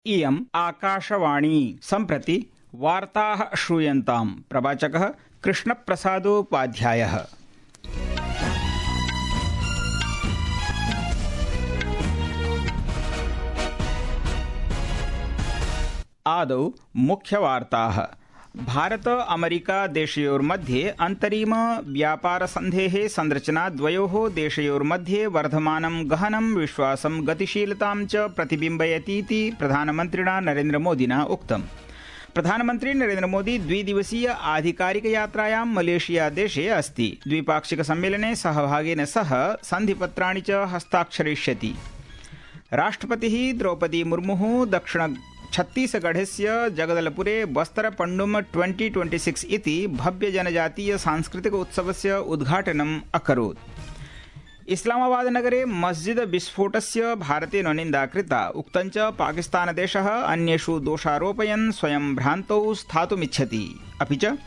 इयम् आकाशवाणी सम्प्रति वार्ताः श्रूयन्ताम्। प्रवाचकः कृष्णप्रसादोपाध्यायः। आदौ मुख्यवार्ताः। भारत अमेरिका देशयोर्मध्ये अन्तरिम व्यापारसन्धेः संरचना द्वयोः देशयोर्मध्ये वर्धमानं गहनं विश्वासं गतिशीलतां च प्रतिबिम्बयतीति प्रधानमन्त्रिणा नरेन्द्रमोदिना उक्तम्। प्रधानमन्त्री नरेन्द्रमोदी द्विदिवसीय आधिकारिकयात्रायां मलेशिया देशे अस्ति। द्विपाक्षिकसम्मेलने सहभागिन सह सन्धिपत्राणि च हस्ताक्षरिष्यति। राष्ट्रपतिः द्रौपदी मुर्मुः दक्षिण छत्तीसगढ़स्य जगदलपुरे बस्तर पण्डुम 2026 इति भव्य जनजातीय सांस्कृतिक उत्सवस्य उद्घाटनम् अकरोत्। इस्लामाबाद नगरे मस्जिद विस्फोटस्य भारतेन निन्दा कृता। उक्तञ्च पाकिस्तानदेशः अन्येषु दोषारोपयन् स्वयं भ्रान्तौ स्थातुमिच्छति। अपि च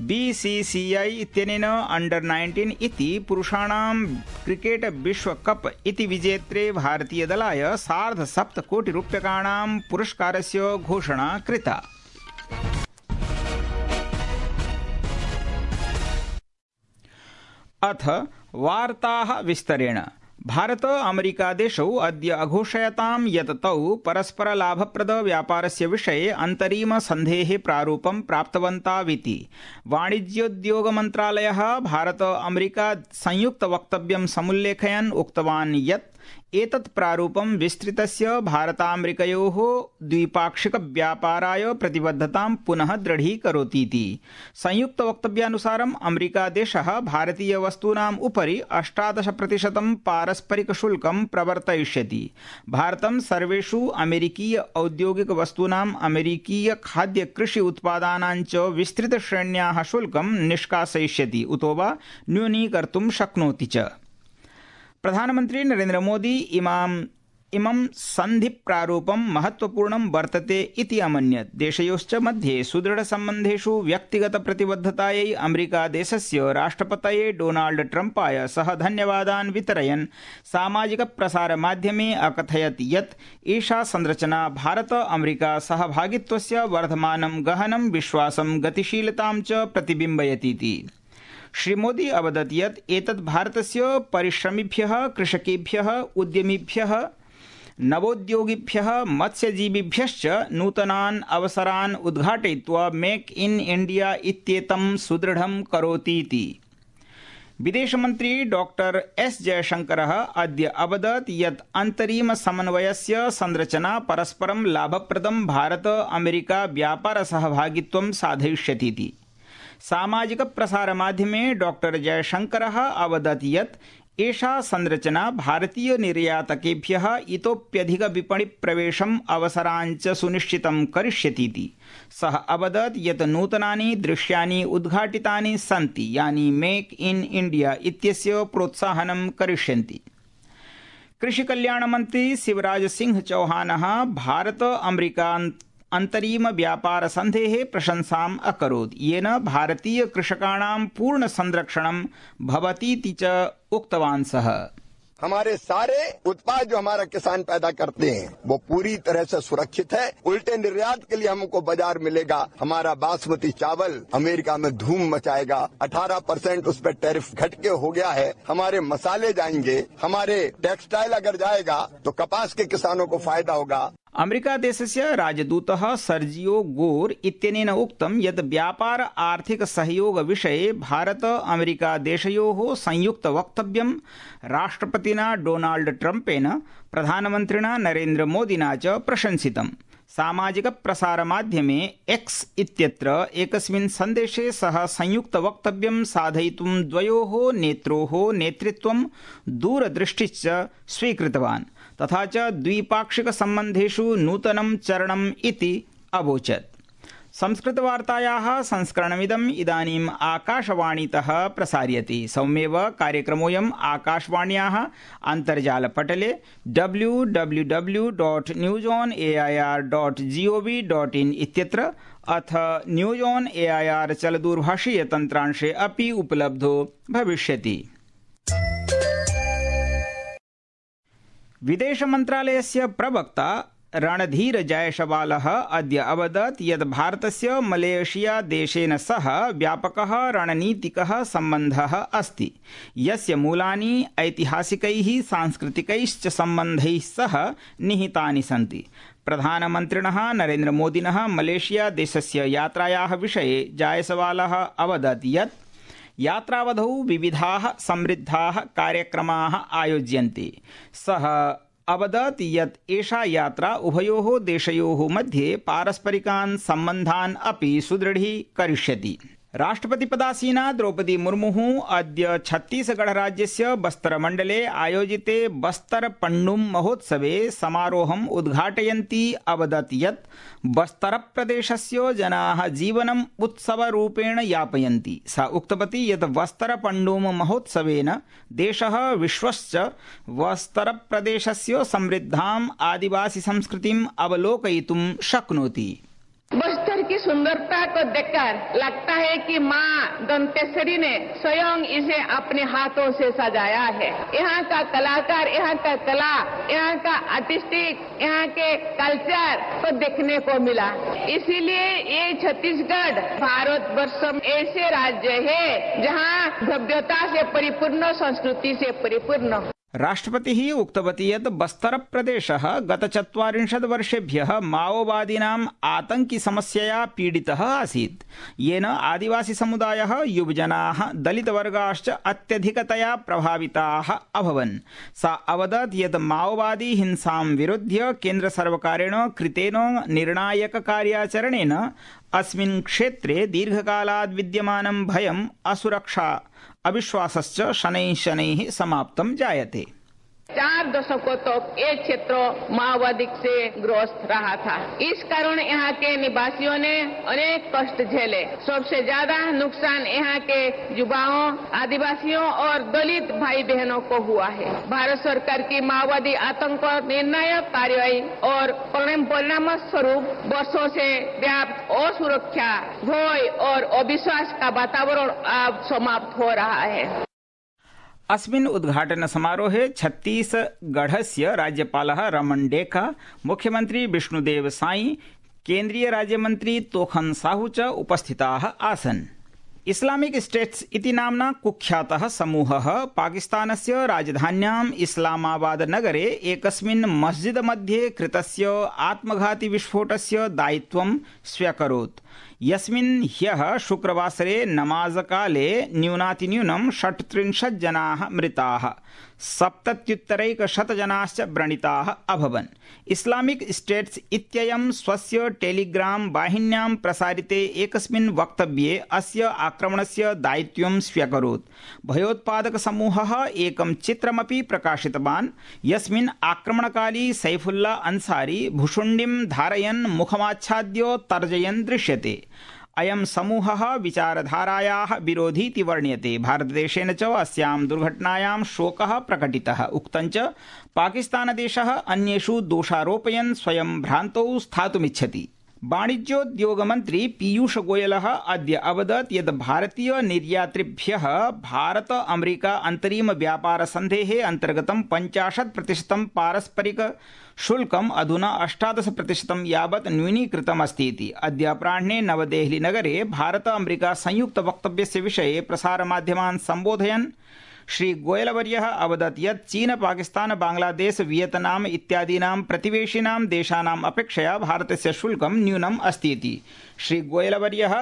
बीसीसीआई इत्यनेन अंडर-19 इति पुरुषाणां क्रिकेट विश्वकप इति विजेत्रे भारतीयदलाय 7.5 कोटिरूप्यकाणां पुरस्कारस्य घोषणा कृता। अथ वार्ताः विस्तरेण। भारत अमेरिका देशौ अद्य अघोषयतां यत् तौ परस्पर लाभप्रद व्यापारस्य विषये अन्तरिम सन्धेः प्रारूपं प्राप्तवन्ताविति। वाणिज्योद्योग मन्त्रालयः भारत अमेरिका संयुक्त वक्तव्यं समुल्लेखयन् उक्तवान् यत् एतत् प्रारूपं विस्तृतस्य भारतामेरिकयोः द्विपाक्षिक व्यापाराय प्रतिबद्धतां पुनः दृढीकरोतीति। संयुक्त वक्तव्यानुसारम् अमेरिका देशः भारतीय वस्तूनाम् उपरि 18% पारस्परिक शुल्कं प्रवर्तयिष्यति। भारतं सर्वेषु अमेरिकीय औद्योगिक वस्तूनाम् अमेरिकीय खाद्य कृषि उत्पादानां च विस्तृत श्रेण्याः शुल्कं निष्कासयिष्यति उतो वा न्यूनीकर्तुं शक्नोति च। प्रधानमन्त्री नरेन्द्र मोदी इमं सन्धिप्रारूपं महत्वपूर्णं वर्तते इति अमन्यत्। देशयोश्च मध्ये सुदृढसम्बन्धेषु व्यक्तिगत प्रतिबद्धतायै अमेरिकादेशस्य राष्ट्रपतये डोनाल्ड ट्रम्पाय सः धन्यवादान् वितरयन् सामाजिक प्रसारमाध्यमे अकथयत् यत् एषा संरचना भारत अमेरिका सहभागित्वस्य वर्धमानं गहनं विश्वासं गतिशीलतां च प्रतिबिम्बयतीति। श्रीमोदी अवदत् यत् एतत् भारतस्य परिश्रमिभ्यः, कृषकेभ्यः, उद्यमिभ्यः, नवोद्योगिभ्यः, मत्स्यजीविभ्यश्च नूतनान् अवसरान् उद्घाटयित्वा मेक इन इंडिया इत्येतं सुदृढं करोतीति। विदेशमन्त्री डॉक्टर एस जयशंकरः अद्य अवदत् यत् अन्तरिम समन्वयस्य संरचना परस्परं लाभप्रदं भारत अमेरिका व्यापार सहभागित्वं साधयिष्यतीति। सामाजिक प्रसारमाध्यमे डॉक्टर जयशंकरः अवदत् यत् एषा संरचना भारतीय निर्यातकेभ्यः इतोप्यधिक विपणि प्रवेशम् अवसराञ्च सुनिश्चितं करिष्यतीति। सः अवदत् यत् नूतनानि दृश्यानि उद्घाटितानि सन्ति यानि मेक इन इंडिया इत्यस्य प्रोत्साहनं करिष्यन्ति। कृषिकल्याणमन्त्री शिवराज सिंह चौहानः भारत अमेरिका अन्तरिम व्यापार सन्धेः प्रशंसाम् अकरोत् येन भारतीय कृषकाणां पूर्ण संरक्षणं भवतीति च उक्तवान् सः। हमारे सारे उत्पाद जो हमारा किसान पैदा करते हैं वो पूरी तरह से सुरक्षित है। उल्टे निर्यात के लिए हमको बाजार मिलेगा। हमारा बासमती चावल अमेरिका में धूम मचाएगा। 18% उस पर टैरिफ घट के हो गया है। हमारे मसाले जाएंगे, हमारे टेक्सटाइल अगर जाएगा तो कपास के किसानों को फायदा होगा। अमेरिका देशस्य राजदूतः सर्जियो गोर इत्यनेन उक्तं यत् व्यापार आर्थिक सहयोग विषये भारत अमेरिका देशयोः संयुक्त वक्तव्यं राष्ट्रपतिना डोनाल्ड ट्रम्पेन प्रधानमन्त्रिणा नरेन्द्र मोदिना च प्रशंसितम्। सामाजिक प्रसारमाध्यमे एक्स इत्यत्र एकस्मिन् सन्देशे सः संयुक्त वक्तव्यं साधयितुं द्वयोः नेत्रोः नेतृत्वं दूरदृष्टिश्च स्वीकृतवान् तथा च द्विपाक्षिक सम्बन्धेषु नूतनं चरणम् इति अवोचत्। संस्कृतवार्तायाः संस्करणमिदम् इदानीम् आकाशवाणीतः प्रसार्यते। सौम्येव कार्यक्रमोऽयम् आकाशवाण्याः अन्तर्जालपटले www.newsonair.gov.in इत्यत्र अथ न्यूज ऑन एआईआर चलदूरभाषीयतन्त्रांशे अपि उपलब्धो भविष्यति। विदेश मन्त्रालयस्य प्रवक्ता रणधीर जायसवालः अद्य अवदत् यत् भारतस्य मलेशिया देशेन सह व्यापकः रणनीतिकः सम्बन्धः अस्ति, यस्य मूलानि ऐतिहासिकैः सांस्कृतिकैश्च सम्बन्धैः सह निहितानि सन्ति। प्रधानमन्त्रिणः नरेन्द्रमोदिनः मलेशिया देशस्य यात्रायाः विषये जायसवालः अवदत् यत् यात्रावधौ विविधाः समृद्धाः कार्यक्रमाः आयोज्यन्ते। सः अवदत् यत् एषा यात्रा उभयोः देशयोः मध्ये पारस्परिकान् सम्बन्धान् अपि सुदृढीकरिष्यति। राष्ट्रपतिपदासीना द्रौपदी मुर्मुः अद्य छत्तीसगढ़राज्यस्य बस्तरमण्डले आयोजिते बस्तर पण्डुं महोत्सवे समारोहम् उद्घाटयन्ती अवदत् यत् बस्तरप्रदेशस्य जनाः जीवनम् उत्सवरूपेण यापयन्ति। सा उक्तवती यत् बस्तरपण्डुं महोत्सवेन देशः विश्वश्च बस्तरप्रदेशस्य समृद्धाम् आदिवासी संस्कृतिम् अवलोकयितुं शक्नोति। बस्तर की सुंदरता को देखकर लगता है कि माँ दंतेश्वरी ने स्वयं इसे अपने हाथों से सजाया है। यहाँ का कलाकार, यहाँ का कला, यहाँ का आर्टिस्टिक, यहाँ के कल्चर को देखने को मिला। इसीलिए ये छत्तीसगढ़ भारतवर्ष में ऐसे राज्य है जहाँ भव्यता से परिपूर्ण, संस्कृति से परिपूर्ण। राष्ट्रपतिः उक्तवती यत् बस्तरप्रदेशः गत 40 वर्षेभ्यः माओवादिनाम् आतङ्किसमस्यया पीडितः आसीत्, येन आदिवासीसमुदायः, युवजनाः, दलितवर्गाश्च अत्यधिकतया प्रभाविताः अभवन्। सा अवदत् यत् माओवादी हिंसां विरुध्य केन्द्रसर्वकारेण कृतेन निर्णायककार्याचरणेन अस्मिन् क्षेत्रे दीर्घकालात् विद्यमानं भयम्, असुरक्षा, अविश्वासश्च शनैः शनैः समाप्तं जायते। 4 दशकों तक ये क्षेत्र माओवादी से ग्रस्त रहा था। इस कारण यहाँ के निवासियों ने अनेक कष्ट झेले। सबसे ज्यादा नुकसान यहाँ के युवाओं, आदिवासियों और दलित भाई बहनों को हुआ है। भारत सरकार की माओवादी आतंक पर निर्णायक कार्रवाई और परिणाम स्वरूप वर्षों से व्याप्त असुरक्षा, भय और अविश्वास का वातावरण अब समाप्त हो रहा है। अस्मिन् उद्घाटन समारोहे छत्तीसगढ़स्य राज्यपालः रमण डेका, मुख्यमंत्री विष्णुदेव साई, केन्द्रीय राज्यमन्त्री तोखन साहू च उपस्थिताः आसन्। इस्लामिक स्टेट्स इति नाम्ना कुख्यातः समूहः पाकिस्तानस्य राजधान्याम् इस्लामाबाद नगरे एकस्मिन् मस्जिद मध्ये कृतस्य आत्मघाती विस्फोटस्य दायित्वं स्व्यकरोत्, यस्मिन् ह्यः शुक्रवासरे नमाजकाले न्यूनातिन्यूनं 36 जनाः मृताः, 77 जनाश्च व्रणिताः अभवन्। इस्लामिक स्टेट्स इत्ययं स्वस्य टेलीग्राम वाहिन्यां प्रसारिते एकस्मिन् वक्तव्ये अस्य आक्रमणस्य दायित्वं स्व्यकरोत्। भयोत्पादक समूहः एकं चित्रमपि प्रकाशितवान्, यस्मिन् आक्रमणकाली सैफुल्ला अंसारी भुशुण्डिं धारयन् मुखमाच्छाद्य तर्जयन् दृश्यते। अयं समूहः विचारधारायाः विरोधीति वर्ण्यते। भारतदेशेन च अस्यां दुर्घटनायां शोकः प्रकटितः। उक्तञ्च पाकिस्तानदेशः अन्येषु दोषारोपयन् स्वयं भ्रान्तौ स्थातुमिच्छति। वाणिज्योद्योगमन्त्री पीयूष गोयलः अद्य अवदत् यत् भारतीय निर्यातृभ्यः भारत अमेरिका अन्तरिम व्यापार सन्धेः अन्तर्गतं 50% पारस्परिक शुल्कम् अधुना 18% यावत् न्यूनीकृतमस्ति इति। अद्य अपराह्णे नवदेहली नगरे भारत अमेरिका संयुक्त वक्तव्यस्य विषये प्रसारमाध्यमान् सम्बोधयन् श्री गोयलवर्यः अवदत् यत् चीन, पाकिस्तान, बांग्लादेश, वियतनाम इत्यादीनां प्रतिवेशिनां देशानाम् अपेक्षया भारतस्य शुल्कं न्यूनम् अस्ति इति। श्री गोयलवर्यः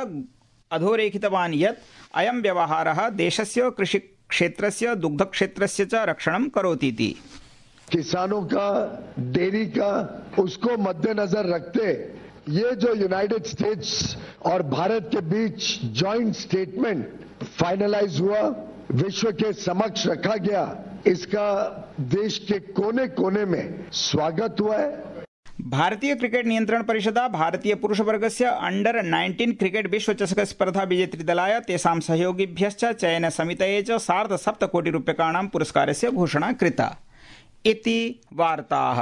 अधोरेखितवान् यत् अयं व्यवहारः देशस्य कृषिक्षेत्रस्य, दुग्धक्षेत्रस्य च रक्षणं करोति इति। किसानों का, डेयरी का, उसको मद्देनजर रखते ये जो यूनाइटेड स्टेट्स और भारत के बीच जॉइंट स्टेटमेंट फाइनलाइज हुआ, विश्व के समक्ष रखा गया, इसका देश के कोने कोने में स्वागत हुआ है। भारतीय क्रिकेट नियंत्रण परिषदा भारतीय पुरुषवर्गस्य अंडर 19 क्रिकेट विश्व चषक स्पर्धा विजेतृदलाय तेषां सहयोगिभ्यश्च चयन समितये च 7.5 कोटिरूप्यकाणां पुरस्कारस्य घोषणा कृता इति वार्ताः।